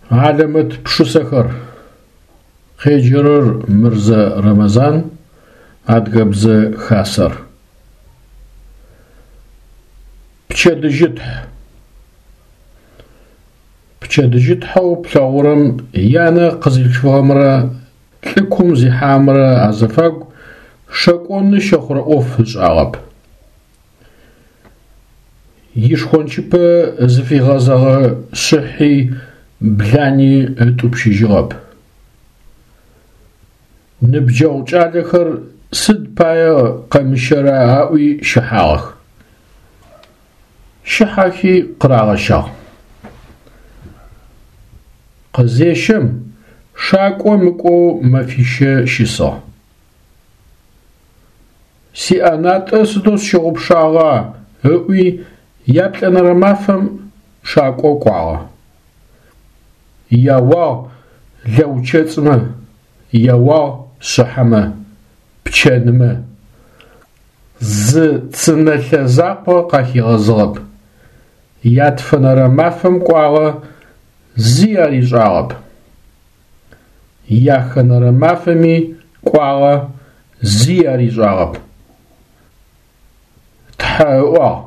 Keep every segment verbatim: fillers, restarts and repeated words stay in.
Хьалэмэт пшысэхэр. Къеджэрэр Мырзэ Рэмэзан, Адыгэбзэ Хасэр. Пчэдыжьытхь. Пчэдыжьытхьэу плъэгъурэм янэ къызилъфыгъэмрэ лӏыкум зихьагъэмрэ азыфагу шэкӏоны щэхъурэ ӏоф ышӏагъэп. Ишхончыпэ зыфигъэзэгъэ шъыхьи блани ытӏупщыжьыгъэп. Ныбджэгъу кӏалэхэр сыд пае къэмыщэра аӏуи щыхьагъэх. Щыхьэхи къырагъэщагъ. Къызещэм, шакӏо мыкӏоу мэфищэ щысыгъ. Сиӏэнатӏэ сыдэу сщыгъупшагъа ыӏуи яплӏэнэрэ мафэм шакӏо кӏуагъэ. Яуагъ лэучэцӏмэ, яуагъ шъыхьэмэ, пчэнмэ. Зы цынэлъэ закъо къахигъэзыгъэп. Ятфэнэрэ мафэм кӏуагъэ, зи аришӏагъэп. Яхэнэрэ мафэми кӏуагъэ, зи аришӏагъэп. Тхьэ ыӏуагъ: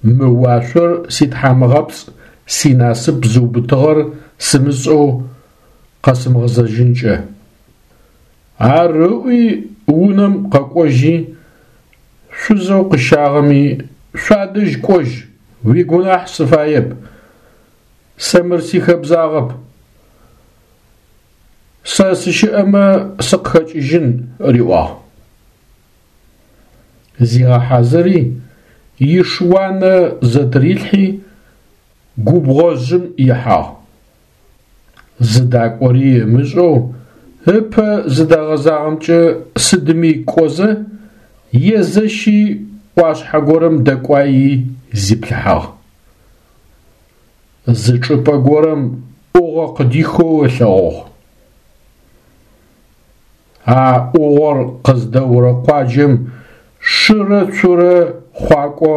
Мы уашъор ситхьамыгъэпцӏ, синасып зыубытыгъэр сымышӏэу къэсымыгъэзэжьынкӏэ. Ар ыӏуи унэм къэкӏожьи, шъузэу къыщагъэми шъуадэжь кӏожь, уигунахь сыфаеп, сэ мыр сихэбзагъэп. Сэ сыщыӏэмэ сыкъыхэкӏыжьын, риӏуагъ. Зигъэхьазыри, иш-уанэ зэтырилъхьи, губгъожъым ихьагъ. Зыдакӏори ымышӏэу, ыпэ зыдэгъэзагъэмкӏэ сыдми кӏозэ, езэщи ӏуашъхьэ горэм дэкӏуаи зиплъыхьагъ. Зы чӏыпӏэ горэм ӏугъо къыдихэу ылъэгъугъ. А ӏугъор къыздэурэ къуаджэм шырэ цурэ хъуакӏо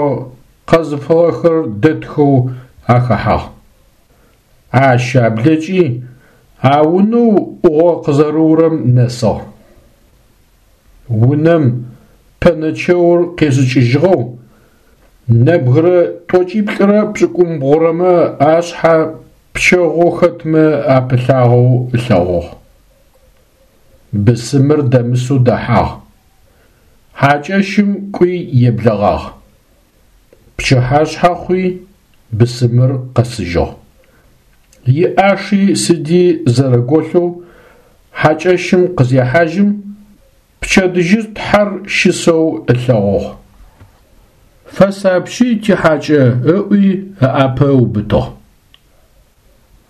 къэзыфыгъэхэр дэтхэу ахэхьагъ. Ащ аблэкӏи а унэу ӏугъо къызэрыурэм нэсыгъ. Унэм пэнэчэур къешӏыкӏыжьыгъэу, нэбгырэ тӏокӏиплӏырэ пшӏыкӏумбгъурэмэ ашъхьэ пчэгъоу хэтмэ апылъагъэу ылъэгъугъ. Бысымыр дэмысэу дэхьагъ. Хьакӏэщым кӏуи еблэгъагъ. Пчыхьашъхьэ хъуи бысымыр къэсыжьыгъ. Иӏаши сыди зэрэголъэу хьакӏэщым къызехьажьым, пчэдыжьытхьэр щысэу ылъэгъугъ. Фэсапщи тихьакӏэ ыӏуи ыӏапэ ыубытыгъ.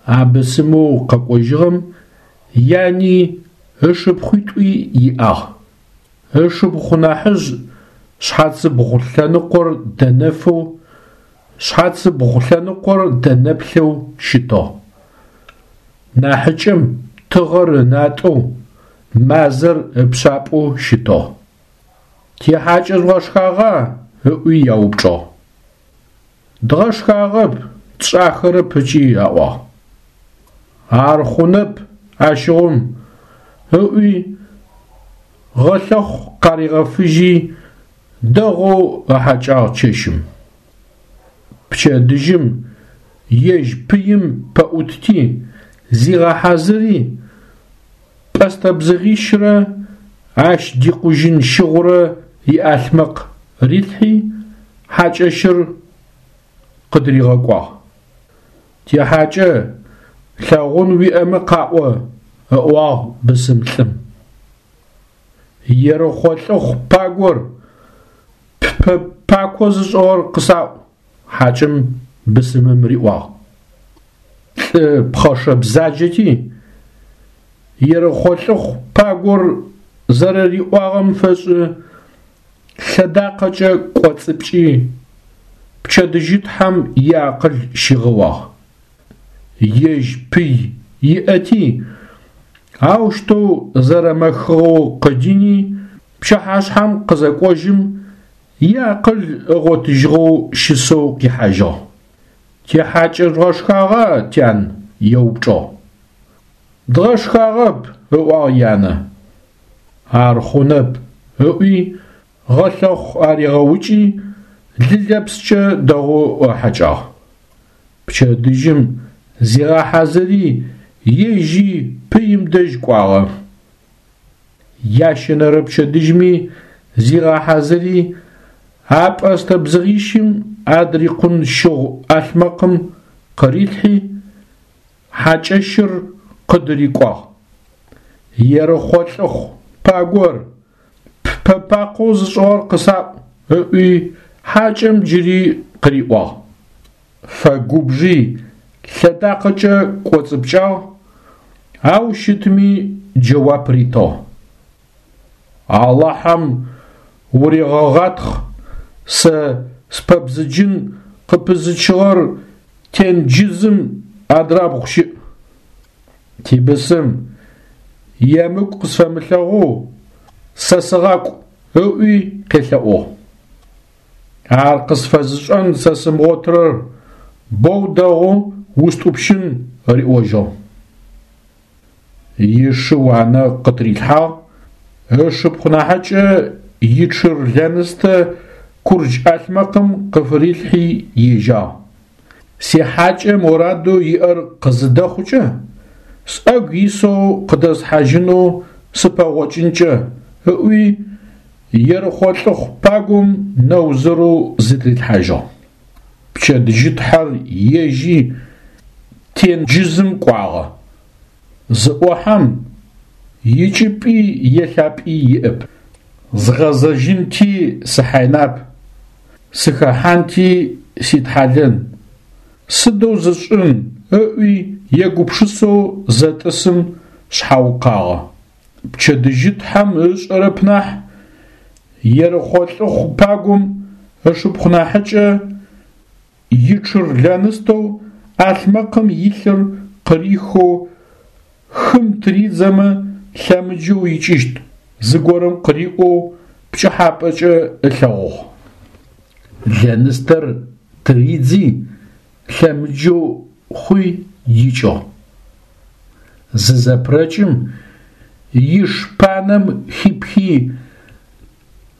А бысымэу къэкӏожьыгъэм яни ышыпхъуитӏуи иӏагъ. Ышыпхъу нахьыжъ шъхьацыбгъу лъэныкъор дэнэфэу, шъхьацыбгъу лъэныкъор дэнэплъэу щытыгъ. Нахьыкӏэм тыгъэр ынатӏэу, мазэр ыпшъапӏэу щытыгъ. Тихьакӏэ жъугъэшхагъа? Ыӏуи яупчӏыгъ. Дгъэшхагъэп, тшӏахэрэп ыкӏи аӏуагъ. Ар хъунэп ащыгъум, ыӏуи гъэлъэхъу къаригъэфыжьи дэгъоу ыхьакӏагъ чэщым. Пчэдыжьым ежь пыим пэӏутти, зигъэхьазыри, пӏэстэ бзыгъищрэ ащ дикъужьын щыгъурэ иӏалъмэкъ рилъхьи, хьакӏэщыр къыдыригъэкӏуагъ. Тихьакӏэ, лъэгъун уиӏэмэ къаӏо, ыӏуагъ бысым лӏым. Ерыхъо лӏыхъу пагор, ппэ пако зышӏыгъэр къысаӏу, хьакӏэм бысымым риӏуагъ. Лӏы пхъэшэ бзаджэти, Ерыхъо лӏыхъу пагор зэрэриӏуагъэм фэшӏы лъэдакъэкӏэ кӏоцӏыпкӏи, пчэдыжьытхьэм иакъыл щигъэуагъ. Ежь пый иӏэти, аущтэу зэрэмэхыгъэу къыдини, пчыхьашъхьэм къызэкӏожьым, иакъыл ыгъотыжьыгъэу щысэу къихьажьыгъ. Тихьакӏэ жъугъэшхагъа, тян? – еупчӏыгъ. Дгъэшхагъэп, – ыӏуагъ янэ. Ар хъунэп, – ыӏуи, гъэлъэхъу аригъэукӏи, лы лэпскӏэ дэгъоу ыхьэкӏагъ. Пчэдыжьым зигъэхьазыри ежьи пыим дэжь кӏуагъэ. Ящэнэрэ пчэдыжьми зигъэхьазыри, а пӏэстэ бзыгъищым адрикъун щыгъу ӏалъмэкъым къырилъхьи, хьакӏэщыр къыдырикӏуагъ. Ерыхъо лӏыхъу пагор, ппэ пакъэу зышӏыгъэр къысаӏу, ыӏуи хьакӏэм джыри къыриӏуагъ. Фэгубжи лъэдакъэкӏэ кӏоцӏыпкӏагъ, ау щытми джэуап ритыгъ. Алахьэм урегъэгъатхъ, сэ спэбзыджын къыпызычыгъэр тенджызым адрабгъу щыӏ. Тибысым емыкӏу къысфэмылъэгъоу сэ сыгъакӏу, ыӏуи къелъэӏугъ. Ар къысфэзышӏэн сэ сымыгъотырэр боу дэгъу устӏупщын риӏожьыгъ. Ишы уанэ къытырилъхьагъ, ышыпхъу нахьыкӏэ ичъыр лэныстэ курдж ӏалъмэкъым къыфырилъхьи ежьагъ. Сихьакӏэ морадэу иӏэр къызыдэхъукӏэ, сӏэгу исэу къыдэсхьажьынэу сыпэгъокӏынкӏэ, ыӏуи Ерыхъо лӏыхъу пагом нэузырэу зытырилъхьажьыгъ. Пчэдыжьытхьэр ежьи тенджызым кӏуагъэ. Зыӏохьэм икӏыпӏи елъапӏи иӏэп. Згъэзэжьынти сыхьайнап, сыхэхьанти ситхьалэн, сыдэу зысшӏын ыӏуи егупшысэу зэтӏысым шъхьаукъагъэ. Пчэдыжьытхьэм ышӏэрэп нахь, Ерыхъо лӏыхъу пагом ышыпхъу нахьыкӏэ ичъыр лэныстэу ӏалъмэкъым илъыр къырихэу хым тыридзэмэ лъэмыджэу икӏыщт зыгорэм къыриӏоу пкӏыхьапӏэкӏэ ылъэгъугъ. Лэныстэр тыридзи лъэмыджэу хъуи икӏыгъ. Зызэпрэкӏым иш панэм хипхи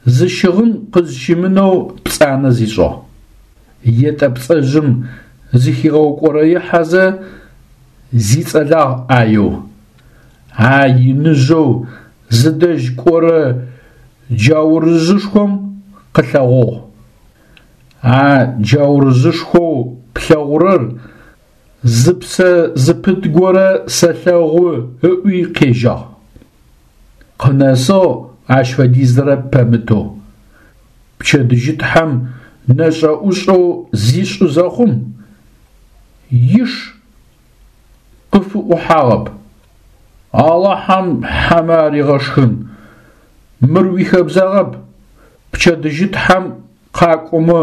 зы щыгъын къызщимынэу пцӏанэ зишӏыгъ. Етӏэпцӏэжъым зыхигъэукӏорэихьэзэ зицӏэлагъ ӏаеу. А иныжъэу зыдэжь кӏорэ джаурыжъышхом къылъэгъугъ. А джаурыжъышхоу плъэгъурэр зы псэ зыпыт горэ сэлъэгъу ыӏуи къежьагъ. Къынэсыгъ ащ фэдизрэ пэмытэу. Пчэдыжьытхьэм нэшӏэ-ӏушӏэу зишӏы зэхъум, иш къыфыӏухьагъэп. Алахьэм хьэмэ аригъэшхын, мыр уихэбзагъэп, пчэдыжьытхьэм къакӏомэ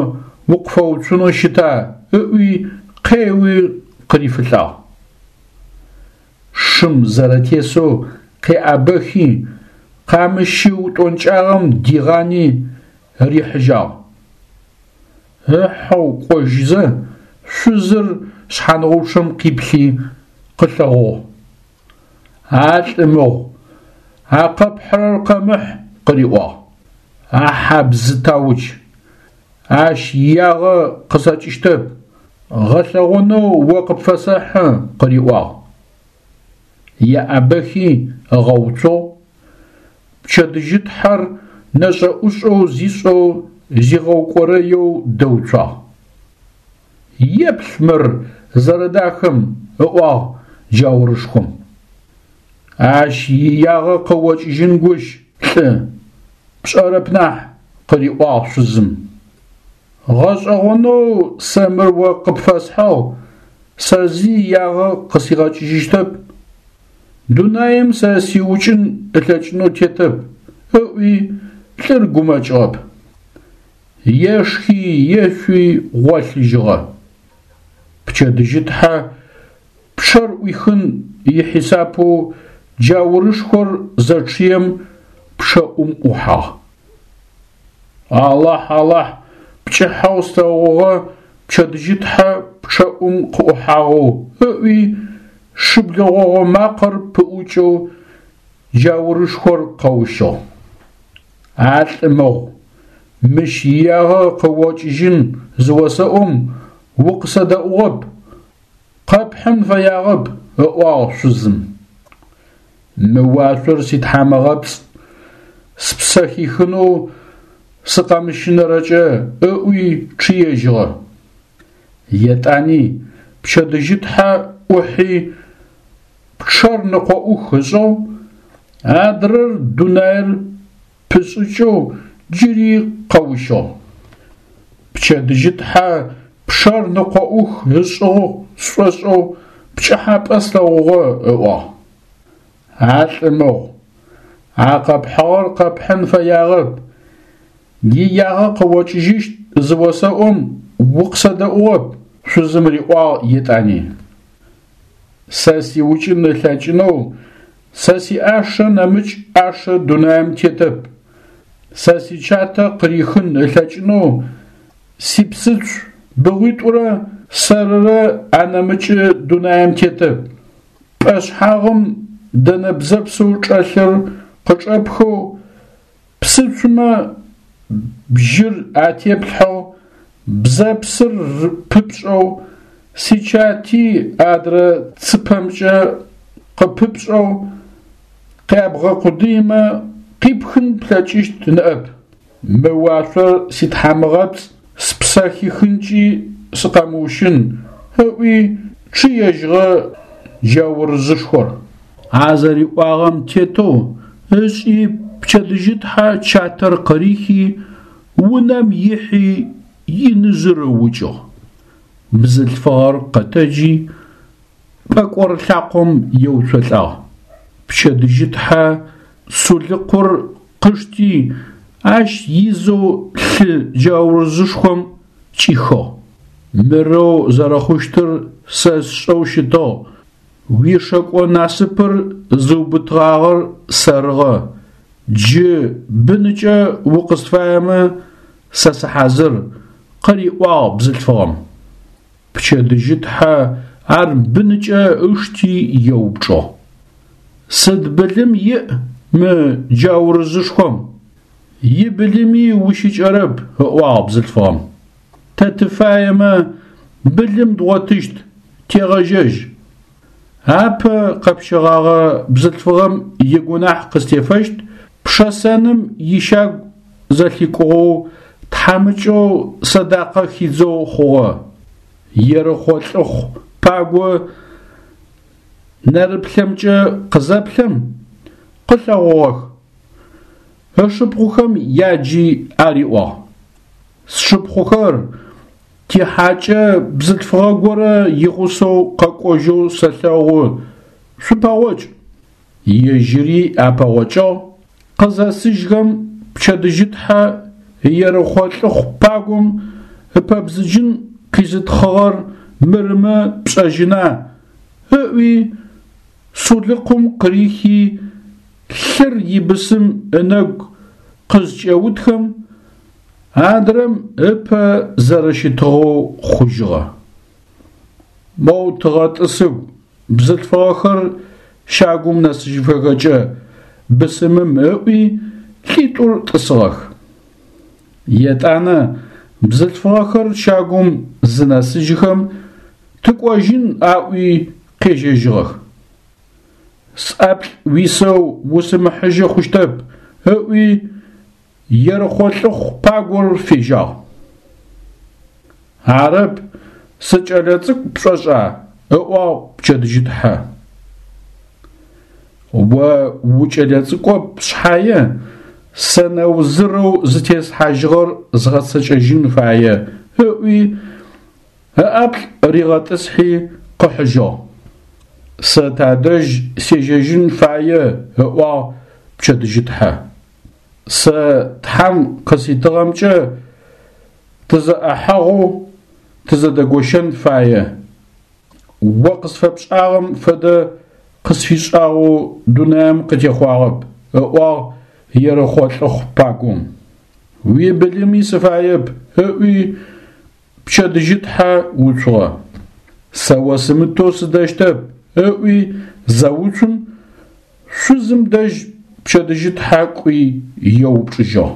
укъыфэуцунэу щыта ыӏуи къеуи къырифылӏагъ. Шым зэрэтесэу къеӏэбэхи, къамыщы утӏонкӏагъэм дигъани рихьыжьагъ. Ыхьэу кӏожьызэ шъузыр шъхьангъупчъэм къиплъи къылъэгъугъ. А лӏы мыгъу, а къэпхьырэр къэмыхь, къыриӏуагъ. А хьабзытауч, ащ иягъэ къысэкӏыщтэп, гъэлъэгъонэу о къыпфэсэхьы, къыриӏуагъ. Еӏэбэхи ыгъэуцугъ, пчэдыжьытхьэр нэшӏэ-ӏушӏэу зишӏэу зигъэукӏорэеу дэуцуагъ. Еплъ мыр зэрэдахэм, ыӏуагъ джаурышхом. Ащ иягъэ къыокӏыжьын гущ, лӏы, пшӏэрэп нахь, къыриӏуагъ шъузым. Гъэшӏэгъонэу сэ мыр о къыпфэсхьыгъ, сэ зи иягъэ къысигъэкӏыжьыщтэп. Дунаим сэ сиукӏын ылъэкӏынэу тетэп, ыӏуи лӏыр гумэкӏыгъэп. Ешхи ешъуи гъолъыжьыгъэ. Пчэдыжьытхьэ пчъэр ӏуихын ихьисапэу джаурышхор зэчъыем пчъэӏум ӏухьагъ. Алахь, Алахь, пкӏыхьэу слъэгъугъэ пчэдыжьытхьэ пчъэӀум къыӀухьагъэу ыӀуи, шыблэ гъогъо макъэр пыӀукӀэу джаурышхор къэущыгъ. А лӀы мыгъу, мыщ иягъэ къыокӀыжьын зыосэӀом укъысэдэӀугъэп, къэпхьын фэягъэп, ыӀуагъ шъузым. Мы уашъор ситхьамыгъэпцӀ, спсэ хихынэу сыкъэмыщынэрэкӀэ ыӀуи чъыежьыгъэ. ЕтӀани пчэдыжьытхьэ Ӏухьи пчъэр ныкъоӀух ышӀыгъ, адрэр дунаир пышӀыкӀэу джыри къэущыгъ. Пчэдыжьытхьэ пчъэр ныкъоӀух ышӀыгъ сшӀошӀэу пкӀыхьапӀэ слъэгъугъэ, ыӀуагъ. А лӀы мыгъу, а къэпхьыгъэр къэпхьын фэягъэп, иягъэ къыокӀыжьыщт зыосэӀом укъысэдэӀугъэп, шъузым риӀуагъ етӀани. Сэ сиукӀын ылъэкӀынэу сэ сиӀашэ нэмыкӀ Ӏашэ дунаим тетэп, сэ сичатэ къырихын ылъэкӀынэу сипсыцу быгъуитӀурэ сэрырэ анэмыкӀы дунаим тетэп. ПӀэшъхьагъым дэнэ бзэпсэу чӀэлъыр къычӀэпхэу, псыцумэ бжьыр атеплъхьэу, бзэпсыр пыпшӀэу, сичати адрэ цыпэмкӀэ къыпыпшӀэу, къябгъэкъудыимэ къипхын плъэкӀыщт ныӀэп. Мы уашъор ситхьамыгъэпцӀ, спсэ хихынкӀи сыкъэмыущын, ыӀуи чъыежьыгъэ джаурыжъышхор. А зэриӀуагъэм тетэу ышӀи пчэдыжьытхьэ чатэр къырихи, унэм ихьи иныжъыр ыукӀыгъ. Бзылъфыгъэр къэтэджи пӀэкӀор лъакъом еуцолӀагъ. Пчэдыжьытхьэ сулыкъур къышти, ащ изэу лъы джаурыжъышхом кӀихыгъ. Мырэу зэрэхъущтыр сэ сшӀэу щытыгъ, уишэкӀо насыпыр зыубытыгъагъэр сэрыгъэ, джы быныкӀэ укъысфаемэ сэ сыхьазыр, къыриӀуагъ бзылъфыгъэм. Пчэдыжьытхьэ ар быныкӀэ ышти еупчӀыгъ. Сыд былым иӀ мы джаурыжъышхом? Ибылыми ущыкӀэрэп, ыӀуагъ бзылъфыгъэм. Тэ тыфаемэ былым дгъотыщт, тегъэжьэжь. Апэ къэпщэгъагъэ бзылъфыгъэм игунахь къыстефэщт, пшэсэным ищагу зэлъикӀугъэу тхьамыкӀэу сэдакъэ хидзэу хъугъэ. Ерыхъо лӀыхъу паго нэрыплъэмкӀэ къызэплъэм, къылъэгъугъэх. Ышыпхъухэм яджи ариӀуагъ: Сшыпхъухэр, тихьакӀэ бзылъфыгъэ горэ игъусэу къэкӀожьэу сэлъэгъу, шъупэгъокӀ. Ежьыри апэгъокӀыгъ, къызэсыжьхэм пчэдыжьытхьэ Ерыхъо лӀыхъу пагом ыпэбзыджын къизытхъыгъэр мырымэ пшӀэжьына, ыӀуи сулыкъум къырихи лъыр ибысым ынэгу къызкӀеутхэм, адрэм ыпэ зэрэщытыгъэу хъужьыгъэ. Моу тыгъэтӀысыгу, бзылъфыгъэхэр щагум нэсыжьыфэхэкӀэ бысымым ыӀуи лӀитӀур тӀысыгъэх. ЕтӀанэ бзылъфыгъэхэр щагум зынэсыжьхэм тыкӀожьын аӀуи къежьэжьыгъэх. СӀаплӀ уисэу усымыхьыжьы хъущтэп, ыӀуи Ерыхъо лӀыхъу пагор фежьагъ. Арэп, сыкӀэлэцӀыкӀу пшӀошӀа? ыӀуагъ пчэдыжьытхьэ. О укӀэлэцӀыкӀоп шъхьае, сэнэузырэу зытеслъхьажьыгъэр згъэцэкӀэжьын фае, ыӀуи ыӀаплӀ ригъэтӀысхьи къыхьыжьыгъ. Сэ тадэжь сежьэжьын фае, ыӀуагъ пчэдыжьытхьэ. Сэ Тхьэм къыситыгъэмкӀэ тызэӀэхьэгъоу тызэдэгощэн фае. О къысфэпшӀагъэм фэдэ къысфишӀагъэу дунаим къытехъуагъэп, ыӀуагъ Ерыхъо лӀыхъу пагом. Уибылыми сыфаеп, ыӀуи пчэдыжьытхьэ уцугъэ. Сэ осымытэу сыдэщтэп, ыӏуи зэуцум, шъузым дэжь пчэдыжьытхьэ кӏуи еупчӏыжьыгъ.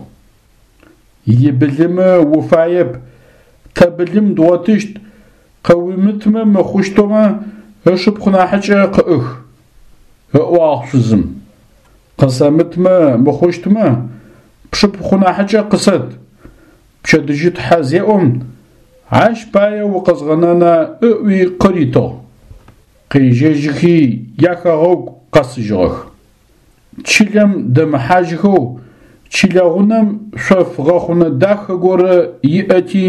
Ибылымэ уфаеп, тэ былым дгъотыщт, къыуимытмэ мыхъущтмэ, ышыпхъу нахьыкӏэ къыӏых, ыӏуагъ шъузым. Къысэмытмэ мыхъущтмэ, пшыпхъу нахьыкӏэ къысэт, пчэдыжьытхьэ зеӏом, ащ пае укъэзгъэнэна ыӏуи къыритыгъ. Къежьэжьыхи яхэгъэгу къэсыжьыгъэх. Чылэм дэмыхьажьхэу чылэ гъунэм шъоф гъэхъунэ дахэ горэ иӏэти,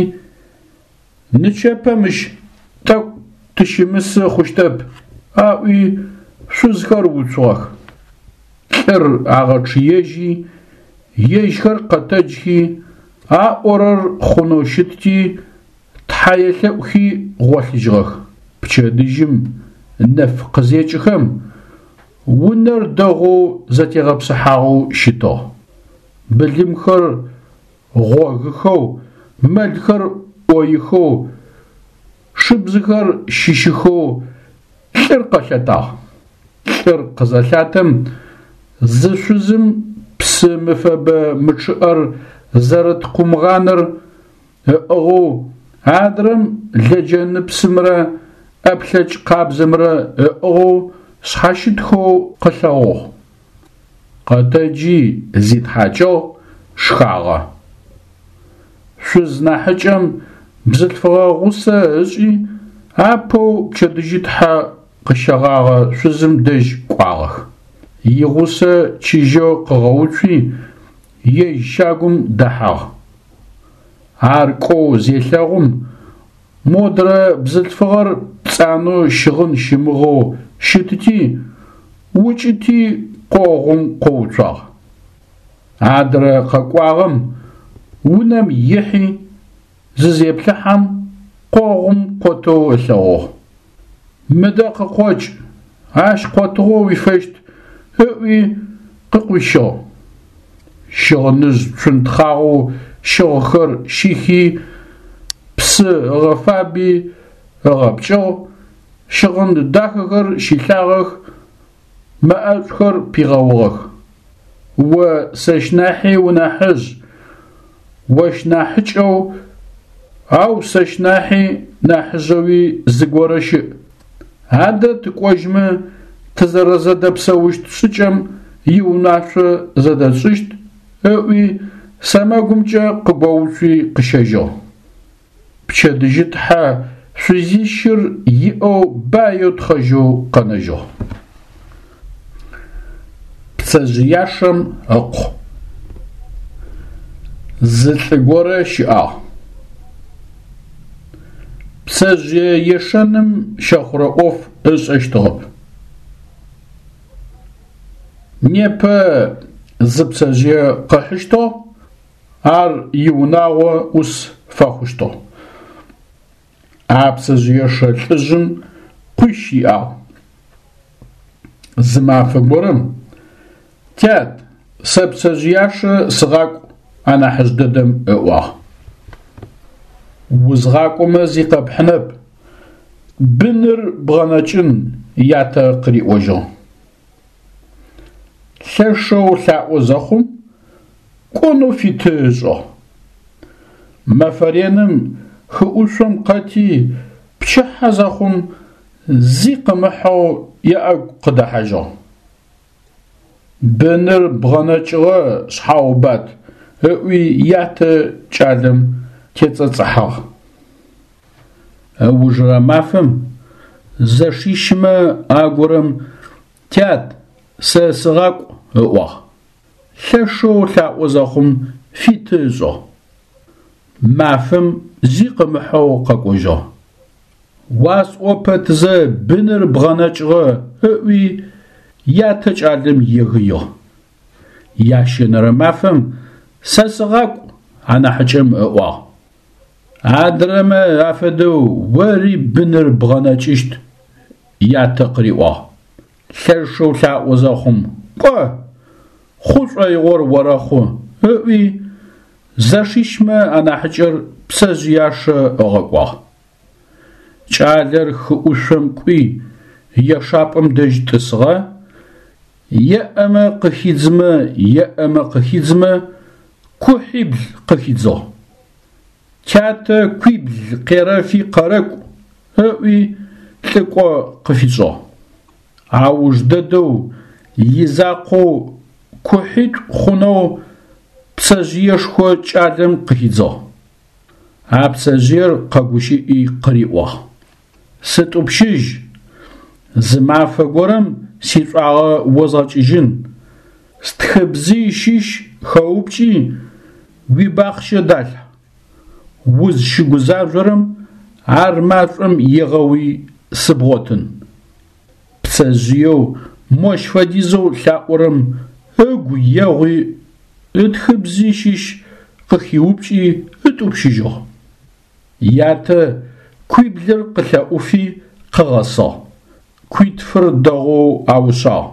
нычэпэ мыщ тӏэкӏу тыщымысы хъущтэп, аӏуи шъузхэр уцугъэх. Лӏыр агъэчъыежьи, ежьхэр къэтэджхи, аӏорэр хъунэу щытти, Тхьэ елъэӏухи гъолъыжьыгъэх. Пчэдыжьым нэф къызекӏыхэм унэр дэгъоу зэтегъэпсыхьагъэу щытыгъ. Былымхэр гъогыхэу, мэлхэр ӏоихэу, шыбзыхэр щыщыхэу лӏыр къэлъэтагъ. Лӏыр къызэлъатэм зы шъузым псы мыфэбэ мычъыӏэр зэрыт къумгъаныр ыӏыгъэу, адрэм лэджэныпсымрэ ӏэплъэкӏ къабзэмрэ ыӏыгъэу шъхьащытхэу къылъэгъугъ. Къэтэджи зитхьакӏыгъ, шхагъэ. Шъуз нахьыкӏэм бзылъфыгъэ гъусэ ышӏи, апэу пчэдыжьытхьэ къыщэгъагъэ шъузым дэжь кӏуагъэх. Игъусэ чыжьэу къыгъэуцуи, ежь щагум дэхьагъ. Ар кӏоу зелъэгъум, модрэ бзылъфыгъэр пцӏанэу щыгъын щымыгъэу щытыти, укӏыти къогъум къоуцуагъ. Адрэ къэкӏуагъэм унэм ихьи, зызеплъыхьэм, къогъум къотэу ылъэгъугъ. Мыдэ къыкъокӏ, ащ къотыгъо уифэщт, ыӏуи къыкъуищыгъ. Щыгъыныжъ цунтхъагъэу щыгъхэр щихи, псы ыгъэфаби ыгъэпкӏыгъ, щыгъын дахэхэр щилъагъэх, мэӏэшӏухэр пигъэугъэх. О сэщ нахьи унахьыжъ, ощ нахьыкӏэу, ау сэщ нахьи нахьыжъэуи зыгорэ щыӏ. Адэ тыкӏожьмэ тызэрэзэдэпсэущт шӏыкӏэм иунашъо зэдэтшӏыщт, ыӏуи сэмэгумкӏэ къыгоуцуи къыщэжьыгъ. Пчэдыжьытхьэ шъузищыр иӏэу баеу тхъэжьэу къэнэжьыгъ. Пцэжъыяшэм ыкъу. Зы лӏы горэ щыӏагъ. Пцэжъые ешэным щэхъурэ ӏоф ышӏэщтыгъэп. Непэ зы пцэжъые къыхьыщтыгъ, ар иунагъо ӏус фэхъущтыгъ. А пцэжъыешэ лӏыжъым къуищ иӏагъ. Зы мафэ горэм: «Тят, сэ пцэжъыяшэ сыгъакӏу», анахьыжъ дэдэм ыӏуагъ. Узгъакӏомэ зи къэпхьынэп, быныр бгъэнэкӏын, ятэ къыриӏожьыгъ. Лъэшэу лъаӏо зэхъум, кӏонэу фиты ышӏыгъ. Мэфэ реным хы ӏушъом къэти, пчыхьэ зэхъум зи къымыхьэу иӏэгу къыдэхьажьыгъ. Быныр бгъэнэкӏыгъэ, шъхьаубат, ыӏуи ятэ кӏалэм тецӏэцӏыхьагъ. Ыужырэ мафэм зэшищымэ агорэм: «Тят, сэ сыгъакӏу», ыӏуагъ. Лъэшэу лъаӏо зэхъум фиты ышӏыгъ. Мафэм зи къымыхьэу къэкӏожьыгъ. Уасӏо пэтзэ быныр бгъэнэкӏыгъэ, ыӏуи ятэ кӏалэм егыигъ. Ящэнэрэ мафэм сэ сыгъакӏу, анахьыкӏэм ыӏуагъ. Адрэмэ афэдэу ори быныр бгъэнэкӏыщт, ятэ къыриӏуагъ. Лъэшэу лъаӏо зэхъум, кӏо, хъу шӏоигъор орэхъу, ыӏуи зэшищмэ анахьыкӏэр пцэжъыяшэ ыгъэкӏуагъ. Кӏалэр хы ӏушъом кӏуи, ешапӏэм дэжь тӏысыгъэ, еӏэмэ къыхидзымэ, еӏэмэ къыхидзымэ, кухьибл къыхидзыгъ. Тятэ куибл къерэфи къэрэкӏу, ыӏуи лӏыкӏо къыфишӏыгъ. Ауж дэдэу изакъоу кухьитӏу хъунэу пцэжъыешхо кӏалэм къыхидзыгъ. А пцэжъыер къэгущыӏи къыриӏуагъ: Сытӏупщыжь, зы мафэ горэм сишӏуагъэ озгъэкӏыжьын, стхыбзый щыщ хэупкӏи уибахъщэ далъхь, узщыгузажъорэм ар машӏом егъэуи сыбгъотын. Пцэжъыеу мощ фэдизэу лъаӏорэм ыгу егъуи ытхыбзый щыщ къыхиупкӏи ытӏупщыжьыгъ. Ятэ куиблыр къылъэӏуфи къыгъэсыгъ. Куитфыр дэгъоу аушъагъ.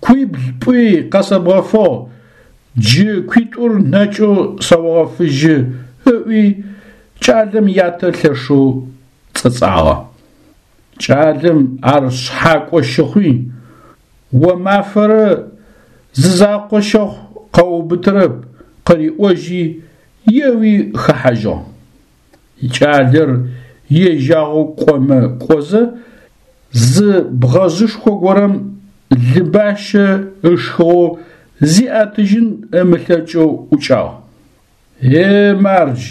Куибл пӏуи къэсэбгъэфыгъ, джы куитӏур нэкӏэу сэогъэфыжьы, ыӏуи кӏалэм ятэ лъэшэу цӏэцӏагъэ. Кӏалэм ар шъхьакӏо щыхъуи, о мафэрэ зызакъо щэхъу къэуубытырэп къыриӏожьи, еуи хэхьажьыгъ. Кӏалэр ежьагъэу кӏомэ кӏозэ, зы бгъэжъышхо горэм лы бащэ ышхыгъэу зиӏэтыжьын ымылъэкӏэу ӏукӏагъ. Е мардж,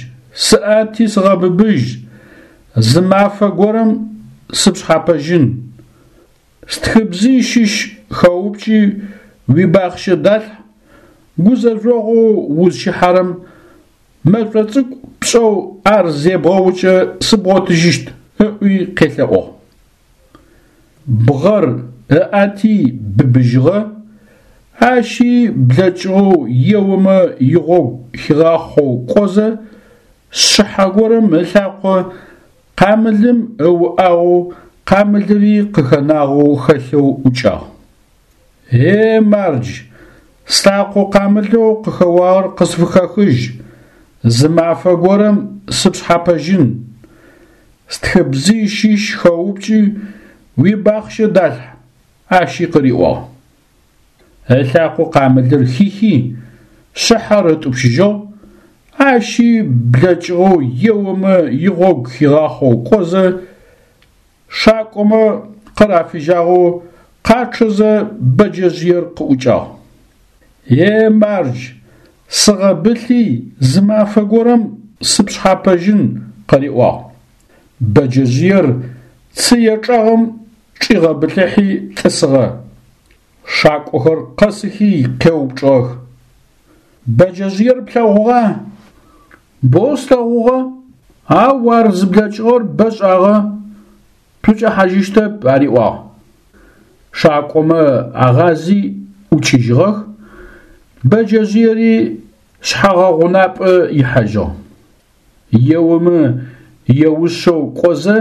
сыӏэти сыгъэбыбыжь, зы мафэ горэм сыпшъхьапэжьын. Стхыбзый щыщ хэупкӏи уибахъщэ далъхь, гузэжъогъоу узщихьэрэм мэшӏо цӏыкӏу пшӏэу ар зебгъэукӏэ сыбгъотыжьыщт, ыӏуи къелъэӏугъ. Бгъэр ыӏэти быбыжьыгъэ, ащи блэкӏыгъэу еомэ игъогу хигъахъоу кӏозэ, шъыхьэ горэм ылъакъо къамылым ыуӏагъэу къамылыри къыхэнагъэу хэлъэу ӏукӏагъ. Е мардж, слъакъо къамылэу къыхэуагъэр къысфыхэхыжь, зы мафэ горэм сыпшъхьапэжьын. Стхыбзый щыщ хэупкӏи уибахъщэ далъхь, ащи къыриӏуагъ. Ылъакъо къамылыр хихи, шъыхьэр ытӏупщыжьыгъ, ащи блэкӏыгъэу еомэ игъогу хигъахъоу кӏозэ, шакӏомэ къырафыжьагъэу къачъэзэ бэджэжъыер къыӏукӏагъ. Е мардж, сыгъэбылъи зы мафэ горэм сыпшъхьапэжьын, къыриӏуагъ. Бэджэжъыер цые чӏэгъым чӏигъэбылъыхьи тӏысыгъэ. Шакӏохэр къэсыхи къеупчӏыгъэх: Бэджэжъыер плъэгъугъа? Боу слъэгъугъэ, ау ар зыблэкӏыгъэр бэ шӏагъэ, шъукӏэхьажьыщтэп, ариӏуагъ. Шакӏомэ агъази ӏукӏыжьыгъэх, бэджэжъыери шъхьэгъэгъунапӏэ ихьажьыгъ. Еомэ еушъэу кӏозэ,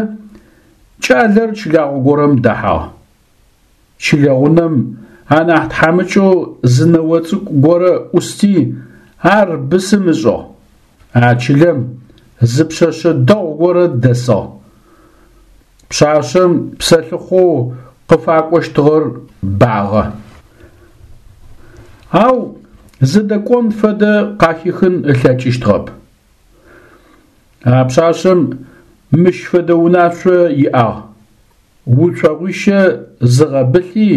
кӏалэр чылагъо горэм дэхьагъ. Чылэгъунэм анахь тхьамыкӏэу зы ныо цӏыкӏу горэ ӏусти, ар бысым ышӏыгъ. А чылэм зы пшъэшъэ дэгъу горэ дэсыгъ. Пшъашъэм псэлъыхъоу къыфакӏощтыгъэр багъэ. Ау зыдэкӏон фэдэ къахихын ылъэкӏыщтыгъэп. А пшъашъэм мыщ фэдэ унашъо иӏагъ: уцогъуищэ зыгъэбылъи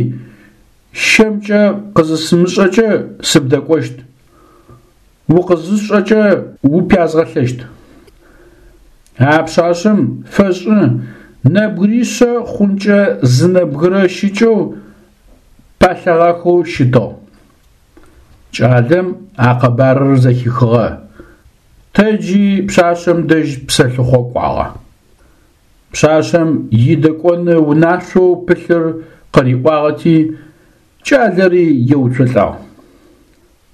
щэмкӏэ къызысымышӏэкӏэ сыбдэкӏощт, укъызысшӏэкӏэ упязгъэлъэщт. А пшъашъэм фэшӏы нэбгыришъэ хъункӏэ зы нэбгырэ щыкӏэу палъэгъахэу щытыгъ. Кӏалэм а къэбарыр зэхихыгъэ. Тэджи пшъашъэм дэжь псэлъыхъо кӏуагъэ. Пшъашъэм идэкӏоны унашъоу пылъыр къыриӏуагъэти, кӏалэри еуцолӏагъ.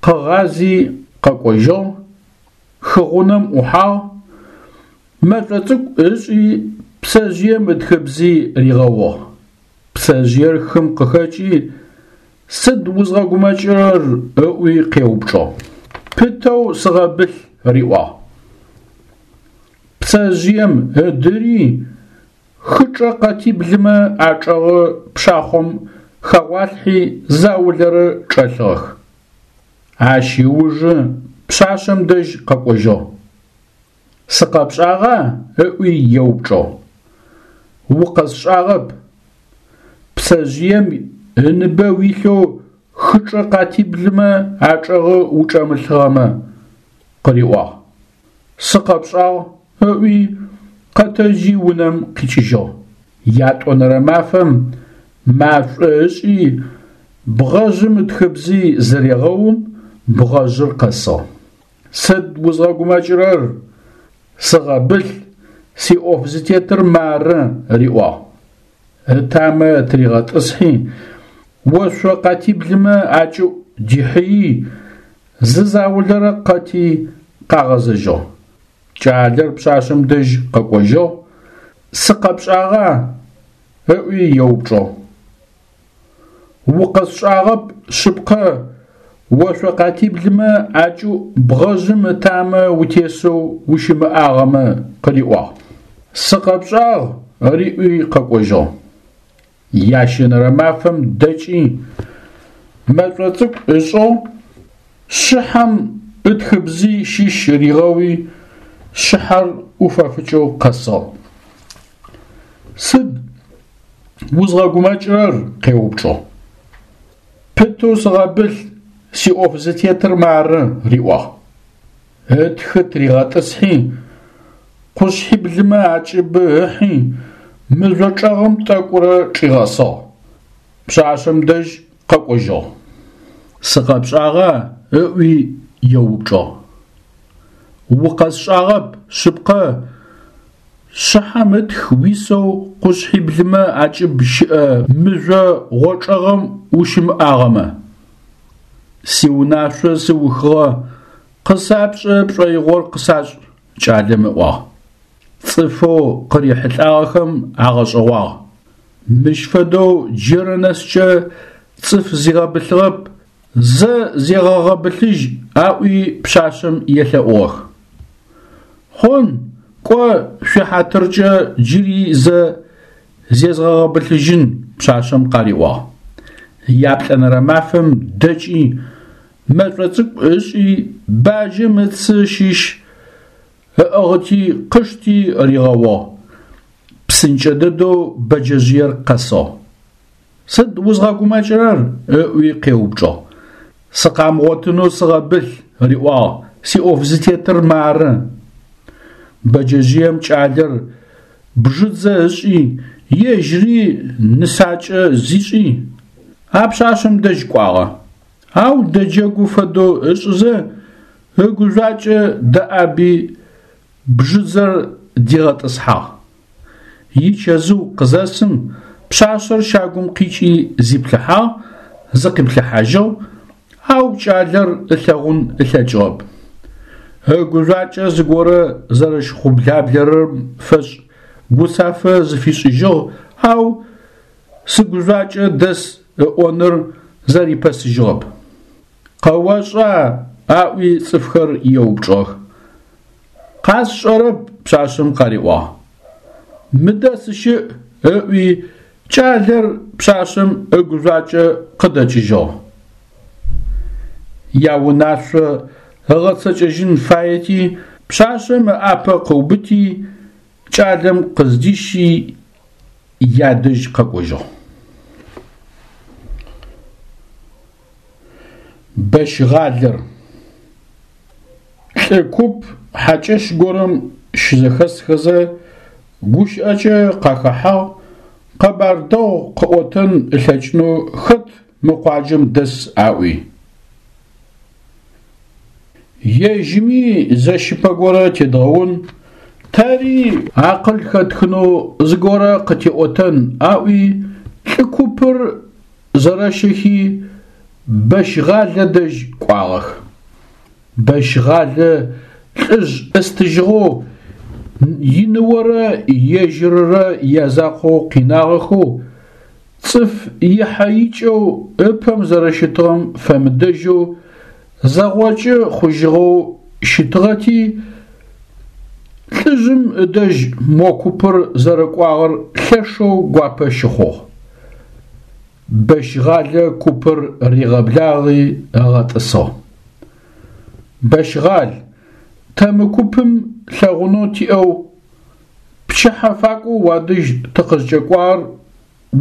Къыгъази къэкӏожьыгъ, хыгъунэм ӏухьагъ, мэшӏо цӏыкӏу ышӏи пцэжъыем ытхыбзый ригъэугъ. Пцэжъыер хым къыхэкӏи, сыд узгъэгумэкӏырэр ыӏуи къеупчӏыгъ. Пытэу сыгъэбылъ, риӏуагъ. Пцэжъыем ыдыри Хычӏэ къэтиблымэ ачӏэгъы пшахъом хэгъуалъхьи заулэрэ чӏэлъыгъэх. Ащ ыужы пшъашъэм дэжь къэкӏожьыгъ. Сыкъэпшӏагъа? ыӏуи еупчӏыгъ. Укъэсшӏагъэп. Пцэжъыем ыныбэ уилъэу хычӏэ къатиблымэ ачӏэгъы учӏэмылъыгъэмэ, къыриӏуагъ. Сыкъэпшӏагъ, ыӏуи къэтэджи унэм къикӏыжьыгъ. Ятӏонэрэ мафэм машӏо ышӏи, бгъэжъым ытхыбзи зырегъэум, бгъэжъыр къэсыгъ. Сыд узгъэгумэкӏырэр? Сыгъэбылъ, сиӏоф зытетыр мары, риӏуагъ. Ытамэ тыригъэтӏысхьи, ошъо къатиблымэ акӏыӏу дихьыий, зы заулэрэ къэти къагъэзэжьыгъ. Кӏалэр пшъашъэм дэжь къэкӏожьыгъ. Сыкъэпшӏагъа? ыӏуи еупчӏыгъ. Укъэсшӏагъэп шъыпкъэ, ошъо къатиблымэ акӏыӏу бгъэжъым ытамэ утесэу ущымыӏагъэмэ, къыриӏуагъ. Сыкъэпшӏагъ, риӏуи къэкӏожьыгъ. Ящэнэрэ мафэм дэкӏи, мэшӏо цӏыкӏу ышӏыгъ, шъыхьэм ытхыбзи щыщ ригъэуи, шъыхьэр ӏуфэфыкӏэу къэсыгъ. Сыд узгъэгумэкӏырэр? къеупчӏыгъ. Пытэу сыгъэбылъ, сиӏоф зытетыр мары, риӏуагъ. Ытхы тыригъэтӏысхьи, къушъхьиблымэ акӏыбы ыхьи, мыжъо чӏэгъым тӏэкӏурэ чӏигъэсыгъ. Пшъашъэм дэжь къэкӏожьыгъ. Сыкъэпшӏагъа? ыӏуи еупчӏыгъ. Укъэсшӏагъэп шъыпкъэ, шъыхьэм ытх уисэу къушъхьиблымэ акӏыб щыӏэ мыжъо гъочӏэгъым ущымыӏагъэмэ. Сиунашъо сыухыгъэ, къысапшӏэ пшӏоигъор къысашӏ, кӏалэм ыӏуагъ. Цӏыфэу къырихьылӏагъэхэм агъэшӏэгъуагъ. Мыщ фэдэу джырэ нэскӏэ цӏыф зигъэбылъыгъэп, зэ зегъэгъэбылъыжь аӏуи пшъашъэм елъэӏугъэх. Хъун, кӏо, шъуихьатыркӏэ джыри зэ зезгъэгъэбылъыжьын, пшъашъэм къариӏуагъ. Яплӏэнэрэ мафэм дэкӏи, мэшӏо цӏыкӏу ышӏи, баджэм ыцы щыщ ыӏыгъыти къышти ригъэугъ. Псынкӏэ дэдэу бэджэжъыер къэсыгъ. Сыд узгъэгумэкӏырэр? ыӏуи къеупчӏыгъ. Сыкъамыгъотынэу сыгъэбылъ, риӏуагъ, сиӏоф зытетыр мары. Бэджэжъыем кӏалэр бжыдзэ ышӏи, ежьыри нысакӏэ зишӏи, а пшъашъэм дэжь кӏуагъэ. Ау дэджэгу фэдэу ышӏызэ, ыгужъуакӏэ дэӏаби бжыдзэр дигъэтӏысхьагъ. Ичэзыу къызэсым, пшъашъэр щагум къикӏи зиплъыхьагъ, зыкъиплъыхьажьыгъ, ау кӏалэр ылъэгъун ылъэкӏыгъэп. Ыгужъуакӏэ зыгорэ зэрэщыхъублаблэрэм фэшӏ гуцафэ зыфишӏыжьыгъ, ау сыгужъуакӏэ дэс ыӏоныр зэрипэсыжьыгъэп. Къэошӏа? Аӏуи цӏыфхэр еупчӏыгъэх. Къасшӏэрэп, пшъашъэм къариӏуагъ. Мыдэ сыщыӏ, ыӏуи кӏалэр пшъашъэм ыгужъуакӏэ къыдэкӏыжьыгъ. Яунашъо ыгъэцэкӏэжьын фаети, пшъашъэм ыӏапэ къыубыти, кӏалэм къыздищи ядэжь къэкӏожьыгъ. Бэщгъалэр. Лӏы куп хьакӏэщ горэм щызэхэсхэзэ гущыӏэкӏэ къахэхьагъ, къэбар дэгъу къыӏотэн ылъэкӏынэу хэт мы къуаджэм дэс аӏуи. Ежьыми зэщыпэ горэ тедгъэун, тэри акъыл хэтхынэу зыгорэ къытиӏотэн аӏуи, лӏы купыр зэрэщэхи Бэщгъалэ дэжь кӏуагъэх. Бэщгъалэ лӏыжъ ыстыжьыгъэу иныорэ ежьыррэ язакъоу къинагъэхэу, цӏыф ихьэ-икӏэу ыпэм зэрэщытыгъэм фэмыдэжьэу зэгъокӏы хъужьыгъэу щытыгъэти, Лӏыжъым ыдэжь мо купыр зэрэкӏуагъэр лъэшэу гуапэ щыхъугъ. Бэщгъалэ купыр ригъэблагъи ыгъэтӏысыгъ. Бэщгъал, тэ мы купым лъэгъунэу тиӏэу пчыхьэ факӏоу уадэжь тыкъызкӏэкӏуагъэр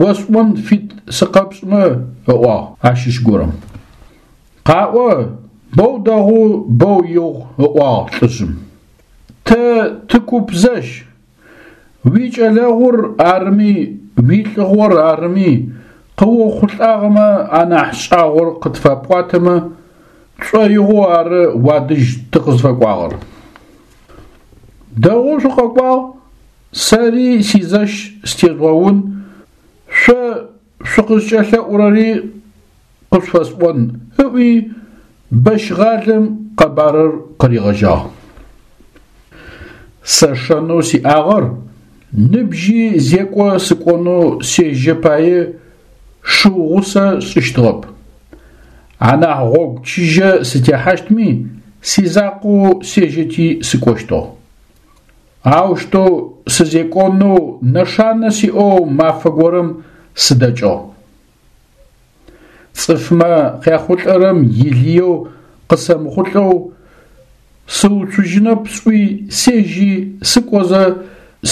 осӏон фит сыкъэпшӏымэ, ыӏуагъ ащыщ горэм. Къаӏо, боу дэгъу, боу игъу, ыӏуагъ лӏыжъым. Тэ тыкуп зэщ, уикӏэлэгъур арыми, уилӏыгъор арыми, къыохъулӏагъэмэ анахь шӏагъор къытфэпӏуатэмэ, тшӏоигъоу ары уадэжь тыкъызфэкӏуагъэр. Дэгъоу шъукъэкӏуагъ, сэри сизэщ стежъугъэун, шъо шъукъызкӏэлъэӏурэри къышъуфэсӏон, ыӏуи Бэщгъалэм къэбарыр къыригъэжьагъ. Сэ шэнэу сиӏагъэр ныбжьи зекӏо сыкӏонэу сежьэ пае шыу гъусэ сшӏыщтыгъэп. Анахь гъогу чыжьэ сытехьащтми сизакъоу сежьэти сыкӏощтыгъ. Аущтэу сызекӏонэу нэшанэ сиӏэу мафэ горэм сыдэкӏыгъ. Цӏыфмэ къяхъулӏэрэм илыеу къысэмыхъулӏэу сыуцужьынэп сӏуи сежьи сыкӏозэ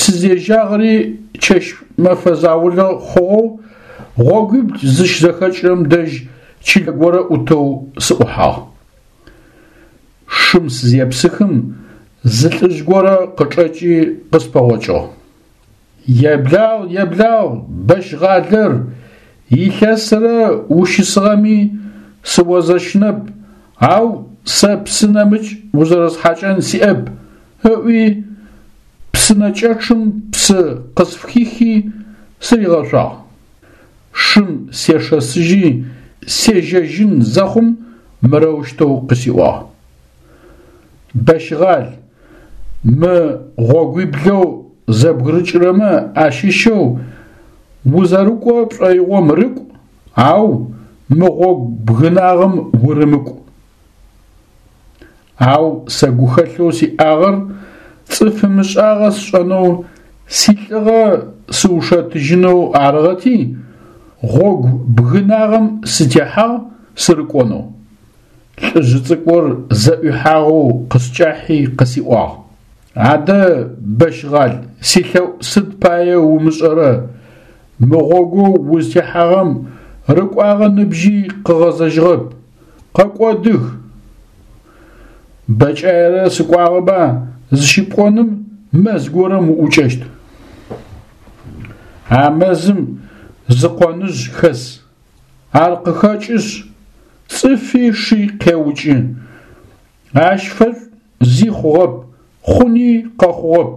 сызежьагъэри чэщ-мэфэ заулэ хъугъэу гъогуибл зыщызэхэкӏырэм дэжь чылэ горэ ӏутэу сыӏухьагъ. Шым сызепсыхым зы лӏыжъ горэ къычӏэкӏи къыспэгъокӏыгъ. Еблагъ, еблагъ, Бэщгъалэр, илъэсрэ ущысыгъэми сыозэщынэп, ау сэ псы нэмыкӏ узэрэсхьакӏэн сиӏэп, ыӏуи псынэкӏэчъым псы къысфыхихи сыригъэшъуагъ. Шым сешэсыжьи сежьэжьын зэхъум мырэущтэу къысиӏуагъ: Бэщгъал, мы гъогуиблэу зэбгырыкӏырэмэ ащыщэу узэрыкӏо пшӏоигъом рыкӏу, ау мы гъогу бгынагъэм урымыкӏу. Ау сэ гухэлъэу сиӏагъэр цӏыф ымышӏагъэ сшӏэнэу силӏыгъэ сыушэтыжьынэу арыгъэти, гъогу бгынагъэм сытехьагъ сырыкӏонэу. Лӏыжъ цӏыкӏур зэӏуихьагъэу къыскӏахьи къысиӏуагъ: Адэ, Бэщгъал, силъэӏу сыд пае умышӏэрэ, мы гъогоу узтехьагъэм рыкӏуагъэ ныбжьи къыгъэзэжьыгъэп, къэкӏодых. Бэкӏаерэ сыкӏуагъэба зыщыпӏоным мэз горэм уӏукӏэщт. А мэзым зы къоныжъ хэс, ар къыхэкӏышъ, цӏыфи ши къеукӏы. Ащ фэшӏу зи хъугъэп, хъуни къэхъугъэп.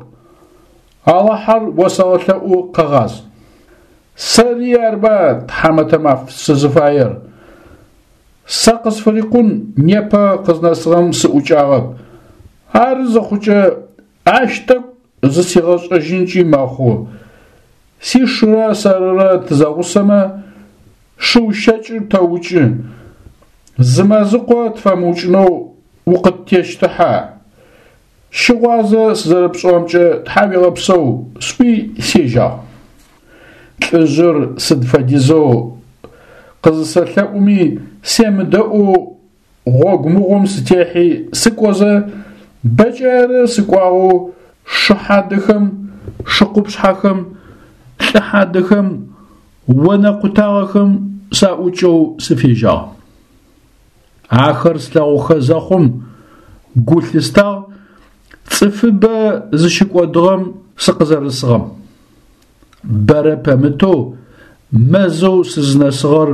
Алахьэр осэгъэлъэӏу къэгъаз. Сэри арба, тхьамэтэ маф, сызыфаер. Сэ къысфырикъун непэ къызнэсыгъэм сыӏукӏагъэп. Ары зыхъукӏэ ащ тӏэкӏу зысигъэшӏэжьынкӏи мэхъу. Сишырэ сэрырэ тызэгъусэмэ, шыу щэкӏыр тэукӏы. Зы мэзыкъо тфэмыукӏынэу укъыттещтыхьа? Щыгъуазэ сызэрэпшӏыгъэмкӏэ тхьауегъэпсэу, сӏуи сежьагъ. Лӏыжъыр сыд фэдизэу къызысэлъэӏуми семыдэӏоу гъогу мыгъом сытехьи сыкӏозэ, бэкӏаерэ сыкӏуагъэу шы хьадэхэм, шы къупшъхьэхэм, лӏы хьадэхэм, онэ къутагъэхэм саӏукӏэу сыфежьагъ. Ахэр слъэгъухэ зэхъум гу лъыстагъ цӏыфыбэ зыщыкӏодыгъэм сыкъызэрысыгъэм. Бэрэ пэмытэу мэзэу сызнэсыгъэр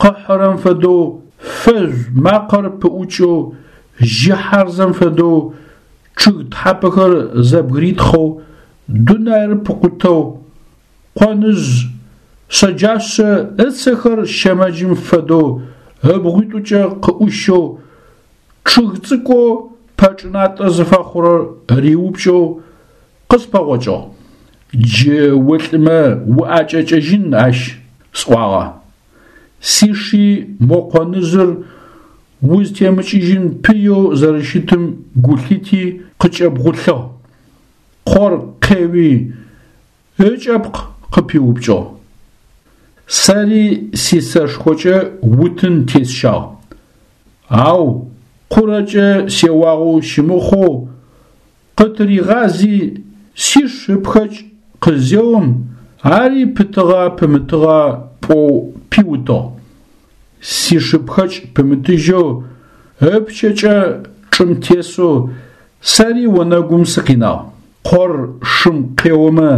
къыхьырэм фэдэу фэжъу макъэр пыӏукӏэу, жьы хьарзэм фэдэу чъыг тхьапэхэр зэбгыритхъэу, дунаир пыкъутэу, къоныжъ шъэджашъэ ыцэхэр щэмэджым фэдэу ыбгъуитӏукӏэ къыӏущэу, чъыг цӏыкӏоу пэчӏынатӏэ зыфэхъурэр риупкӏэу къыспэгъокӏыгъ. Джы улӏымэ уӏэкӏэкӏыжьын ащ, сӏуагъэ. Сиши мо къоныжъыр узтемыкӏыжьын пыеу зэрэщытым гу лъити къыкӏэбгъулъыгъ. Къор къеуи, ыкӏэпкъ къыпиупкӏыгъ. Сэри сисэшхокӏэ утын тесщагъ. Ау къурэкӏэ сеуагъэу щымыхъоу, къытыригъази, сиш ыпхэкӏ къызеом, ари пытыгъа пымытыгъа пӏоу пиутыгъ. Сишыпхэкӏ пымытыжьэу, ыпчэкӏэ чӏым тесэу сэри онэгум сыкъинагъ. Къор шым къеомэ,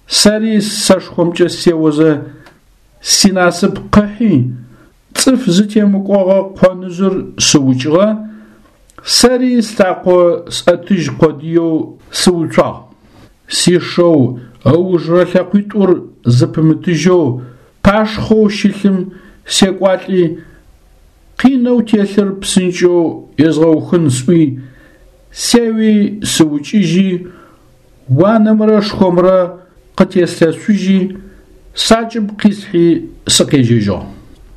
сэри сэшхомкӏэ сеозэ, синасып къыхьи, цӏыф зытемыкӏогъэ къоныжъыр сыукӏыгъэ, сэри слъакъо сӏэтыжь къодыеу сыуцуагъ. Сишэу ыужырэ лъэкъуитӏур зыпымытыжьэу пашхъоу щылъым секӏуалӏи, къинэу телъыр псынкӏэу езгъэухын сӏуи, сеуи сыукӏыжьи, уанэмрэ шхомрэ къытеслъэшъужьи, сакӏыб къисхьи сыкъежьэжьыгъ.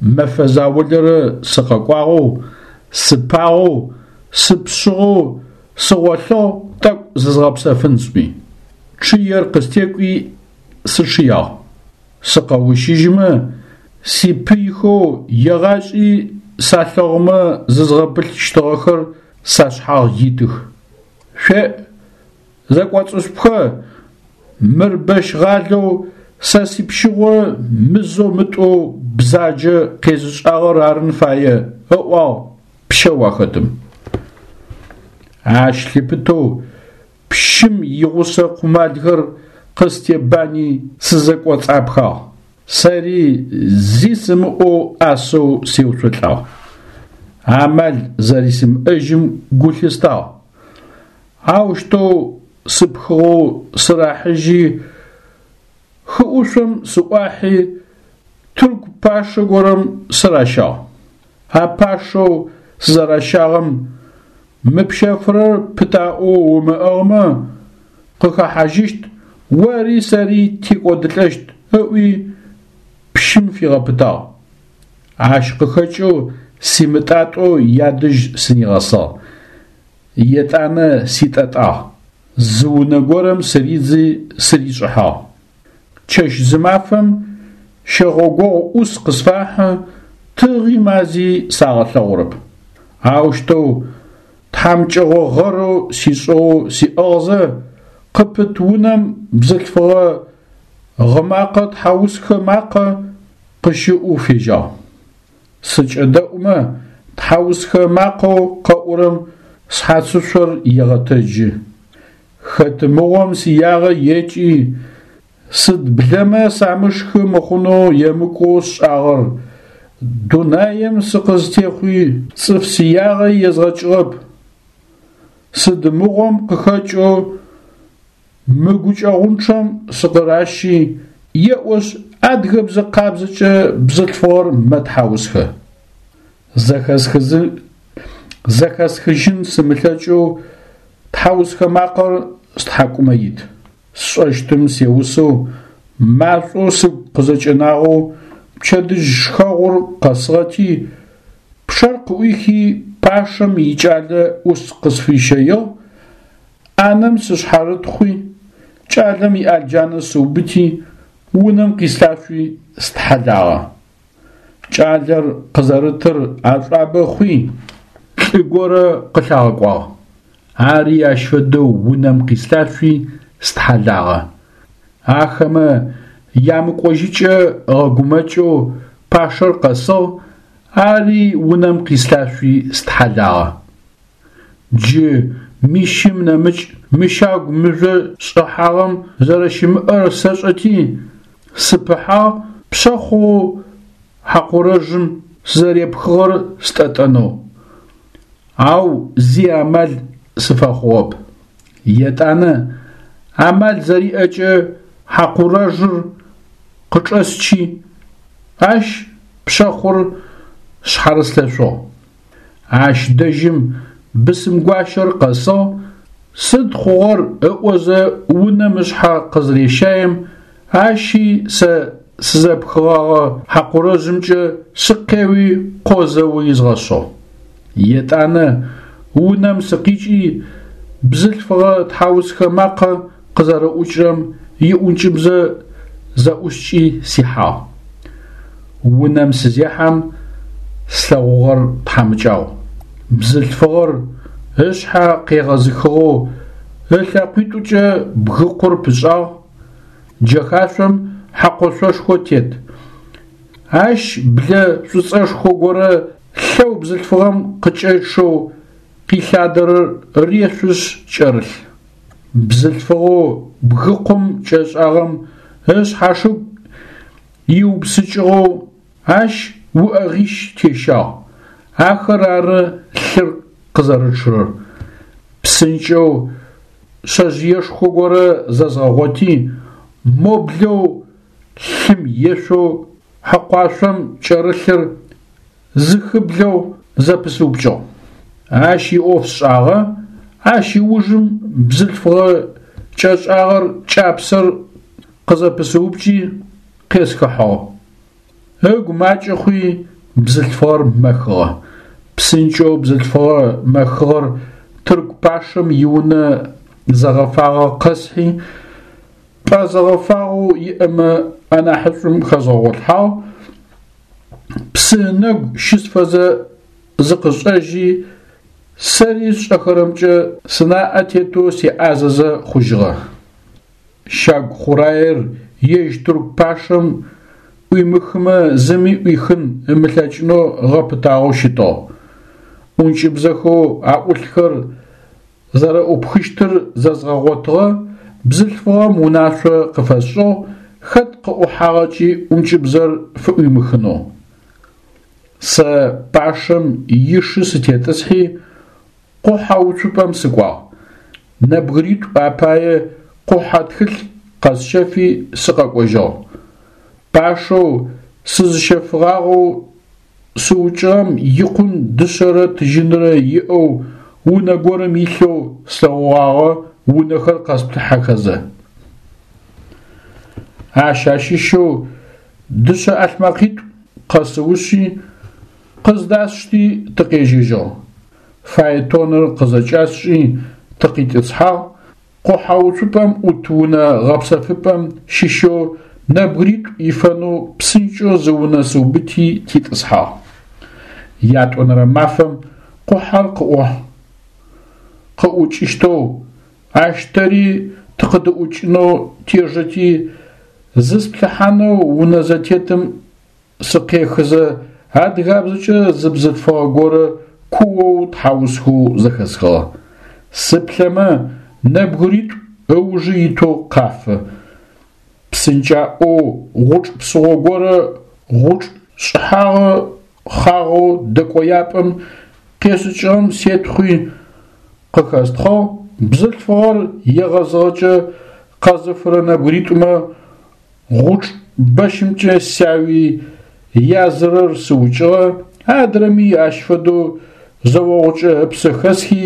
Мэфэ заулэрэ сыкъэкӏуагъэу, сыпагъэу, сыпшъыгъэу сыгъолъыгъ тӏэкӏу зызгъэпсэфын сӏуи. Чъыер къыстекӏуи сычъыягъ. Сыкъэущыжьымэ, сипыйхэу егъашӏи салъэгъумэ зызгъэбылъщтыгъэхэр сашъхьагъ итых. Шъуеӏ, зэкӏоцӏышъупхэ, мыр бэщгъалэу сэ сипщыгъо мызэу-мытӏоу бзаджэ къезышӏагъэр арын фае, ыӏуагъ пщэу ахэтым. Ащ лъыпытэу пщым игъусэ къумалхэр къыстебани сызэкӏоцӏапхагъ. Сэри зи сымыӏоу ӏасэу сеуцолӏагъ. Амал зэрэсимыӏэжьым гу лъыстагъ. Аущтэу сыпхыгъэу сырахьыжьи, хыӏушъом сыӏуахьи, тырку пашэ горэм сыращагъ. А пашэу сызэращагъэм мы пщэфырэр пытаӏоу умыӏыгъмэ, къыхэхьажьыщт, ори сэри текӏодылӏэщт, ыӏуи пщым фигъэпытагъ. Ащ къыхэкӏэу симытӏатӏэу ядэжь сынигъэсыгъ. Етӏанэ ситӏэтӏагъ. Зы унэ горэм сыридзи сыришӏыхьагъ. Чэщ-зымафэм щэгъогогъу ӏус къысфахьы, тыгъи мази сагъэлъэгъурэп. Аущтэу тхьамыкӏэгъо гъэрэу сишӏыгъэу сиӏыгъзэ, къыпыт унэм бзылъфыгъэ гъымакъэ тхьаусхэ макъэ къыщыӏоу фежьагъ. Сыкӏэдэӏумэ, тхьаусхэ макъэу къэӏурэм шъхьацышъор егъэтэджы. Хэт мыгъом сиягъэ екӏи, сыд блэмэ самышхы мыхъунэу емыкӏоу сшӏагъэр, дунаем сыкъызтехъуи цӏыф сиягъэ езгъэкӏыгъэп. Сыд мыгъом къыхэкӏэу мы гукӏэгъунчъэм сыкъыращи, еӏошъ адыгэбзэ къабзэкӏэ бзылъфыгъэр мэтхьаусхэ. Зэхэсхыжьын сымылъэкӏэу тхьаусхэ макъэр стхьакӏумэ ит. Сшӏэщтым сеусэу, машӏоу сыгу къызэкӏэнагъэу пчэдыжь шхэгъур къэсыгъэти, пчъэр къыӏуихи пашэм икӏалэ ӏус къысфищэигъ, ӏанэм сышъхьарытхъуи, кӏалэм иӏалджанэ сыубыти, унэм къислъашъуи стхьэлагъэ. Кӏалэр къызэрытыр ашӏуабэ хъуи, лӏы горэ къылъагъэкӏуагъ. Ари ащ фэдэу унэм къислъашъуи стхьэлагъэ. Ахэмэ ямыкӏожьыкӏэ ыгъэгумэкӏэу пашэр къэсыгъ, ари унэм къислъашъуи стхьэлагъэ. Джы мищым нэмыкӏ мы щагу мыжъо шӏыхьагъэм зэрэщымыӏэр сэшӏэти, сыпыхьагъ пшъэхъоу хьакъурэжъым сызэрепхыгъэр стӏэтӏэнэу. Ау зи амал сыфэхъугъэп. Етӏанэ амал зэриӏэкӏэ хьакъурэжъыр къычӏэсчи, ащ пшъэхъур шъхьарыслъэшъугъ. Ащ дэжьым бысымгуащэр къэсыгъ, сыд хъугъэр ыӏозэ унэм ышъхьэ къызырещаем, ащи сэ сызэпхыгъэгъэ хьакъурэжъымкӏэ сыкъеуи къозэу изгъэшъыгъ. Етӏанэ унэм сыкъикӏи бзылъфыгъэ тхьаусхэ макъэ къызэрэӏукӏырэм иӏункӏыбзэ зэӏускӏи сихьагъ. Унэм сызехьэм слъэгъугъэр тхьамыкӏагъу. Бзылъфыгъэр ышъхьэ къегъэзыхыгъэу ылъэкъуитӏукӏэ бгыкъур пышӏагъ, джэхашъом хьэкъошъошхо тет. Ащ блэ шӏуцӏэшхо горэ лъэу бзылъфыгъэм къыкӏэчъэу къилъадэрэр решъушъ кӏэрылъ. Бзылъфыгъэу бгыкъум кӏэшӏагъэм ышъхьашыгу иупсыкӏыгъэу ащ уӏэгъищ тещагъ, ахэр ары лъыр къызэрычъырэр. Псынкӏэу шъэжъыешхо горэ зэзгъэгъоти, моблэу лъым ешъоу хьэкъуашъом кӏэрылъыр зыхыблэу зэпысыупкӏыгъ. Ащ иӏоф сшӏагъэ, ащ ыужым бзылъфыгъэ кӏэшӏагъэр кӏапсэр къызэпысыупкӏи къесхыхьыгъ. Ыгу макӏэ хъуи бзылъфыгъэр мэхыгъэ. Псынкӏэу бзылъфыгъэ мэхыгъэр тырку пашэм иунэ зэгъэфагъэ къэсхьи, пӏэ зэгъэфагъэу иӏэмэ анахьышӏум хэзгъэгъолъхьагъ, псы ынэгу щысфэзэ зыкъышӏэжьи, сэри сшӏэхэрэмкӏэ сынаӏэ тетэу сеӏазэзэ хъужьыгъэ. Щагу хъураер ежь тырку пашэм ӏуимыхымэ зыми ӏуихын ымылъэкӏынэу гъэпытагъэу щытыгъ. ӏункӏыбзэхэу аӏулъхэр зэрэӏупхыщтыр зэзгъэгъотыгъэ бзылъфыгъэм унашъо къыфэсшӏыгъ хэт къыӏухьагъэкӏи ӏункӏыбзэр фыӏуимыхынэу. Сэ пашэм ишы сытетӏысхьи къухьэ уцупӏэм сыкӏуагъ. Нэбгыритӏу апае къухьэ тхылъ къэсщэфи сыкъэкӏожьыгъ. Пашэу сызыщэфыгъагъэу сыукӏыгъэм икъун дышъэрэ тыжьынрэ иӏэу унэ горэм илъэу слъэгъугъагъэ унэхэр къэсплъыхьэхэзэ. Ащ ащыщэу дышъэ ӏалъмэкъитӏу къэсыушъи, къыздасшти тыкъежьэжьыгъ. Фаэтоныр къызэкӏасшӏи тыкъитӏысхьагъ, къухьэ уцупӏэм ӏут унэ гъэпсэфыпӏэм щыщэу нэбгыритӏу ифэнэу псынкӏэу зы унэ сыубыти титӏысхьагъ. Ятӏонэрэ мафэм къухьэр къыӏухь къыӏукӏыщтэу, ащ тэри тыкъыдыӏукӏынэу тежэти, зысплъыхьанэу унэ зэтетым сыкъехызэ адыгабзэкӏэ зы бзылъфыгъэ горэ куоу тхьаусхэу зэхэсхыгъэ. Сыплъэмэ нэбгыритӏу ыужы итэу къафы. Псынкӏаӏоу гъучӏ псыгъо горэ гъучӏ шӏыхьагъэ хъагъэу дэкӏояпӏэм къешӏыкӏыгъэм сетхъуи къыхэстхъыгъ, бзылъфыгъэр егъэзыгъэкӏэ къэзыфырэ нэбгыритӏумэ гъучӏ бэщымкӏэ сяуи язырэр сыукӏыгъэ, адрэми ащ фэдэу зэогъукӏэ ыпсэ хэсхи,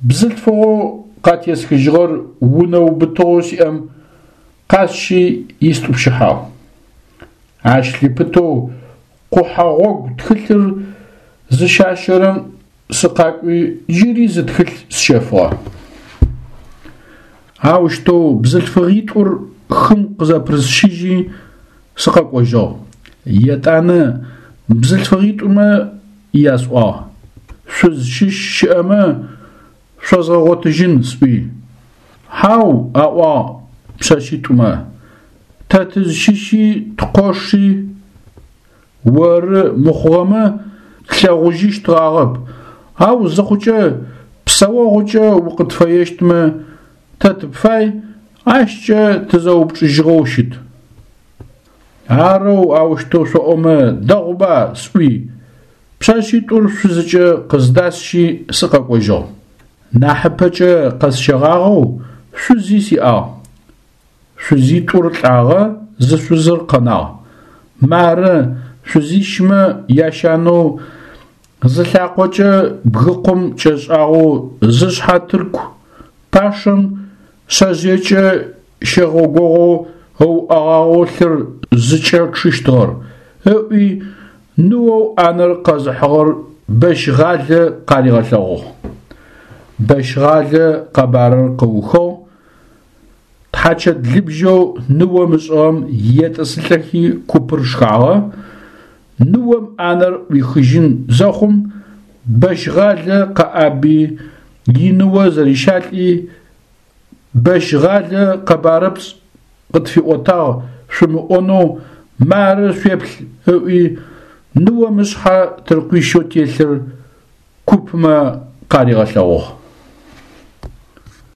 бзылъфыгъэу къатесхыжьыгъэр унэ убытыгъэу сиӏэм къасщи истӏупщыхьагъ. Ащ лъыпытэу къухьэ гъогу тхылъыр зыщащэрэм сыкъакӏуи джыри зы тхылъ сщэфыгъэ. Аущтэу бзылъфыгъитӏур хым къызэпырысщыжьи сыкъэкӏожьыгъ. Етӏанэ бзылъфыгъитӏумэ ясӏуагъ: «Шъузщыщ щыӏэмэ шъозгъэгъотыжьын», – сӏуи. «Хьау, – аӏуагъ пшъэшъитӏумэ, – тэ тызщыщи ткъоши оры мыхъугъэмэ тлъэгъужьыщтыгъагъэп, ау зыхъукӏэ псэогъукӏэ укъытфэещтмэ, тэ тыпфай, ащкӏэ тызэупчӏыжьыгъэу щыт». Арэу аущтэу шъоӏомэ дэгъуба, сӏуи, пшъэшъитӏур шъузыкӏэ къыздасщи сыкъэкӏожьыгъ. Нахьыпэкӏэ къэсщэгъагъэу шъузи сиӏагъ. Шъузитӏур лӏагъэ, зы шъузыр къэнагъ. Мары шъузищмэ ящанэу зы лъакъокӏэ бгыкъум кӏэшӏагъэу зышъхьэ тырку пашэм шъэжъыекӏэ щэгъогогъо ыуӏэгъагъэу лъыр зыкӏэчъыщтыгъэр, ыӏуи ныоу ӏанэр къэзыхьыгъэр Бэщгъалэ къаригъэлъэгъугъ. Бэщгъалэ къэбарыр къыухыгъ, Тхьачэт лыбжьэу ныом ышӏыгъэм етӏысылӏэхи купыр шхагъэ. Ныом ӏанэр ӏуихыжьын зэхъум, бэщгъалэ къэӏаби, иныо зэрищалӏи, «Бэщгъалэ къэбарыпцӏ къытфиӏотагъ шъумыӏонэу мары шъуеплъ» ыӏуи, ныом ышъхьэ тыркъуищэу телъыр купмэ къаригъэлъэгъугъ.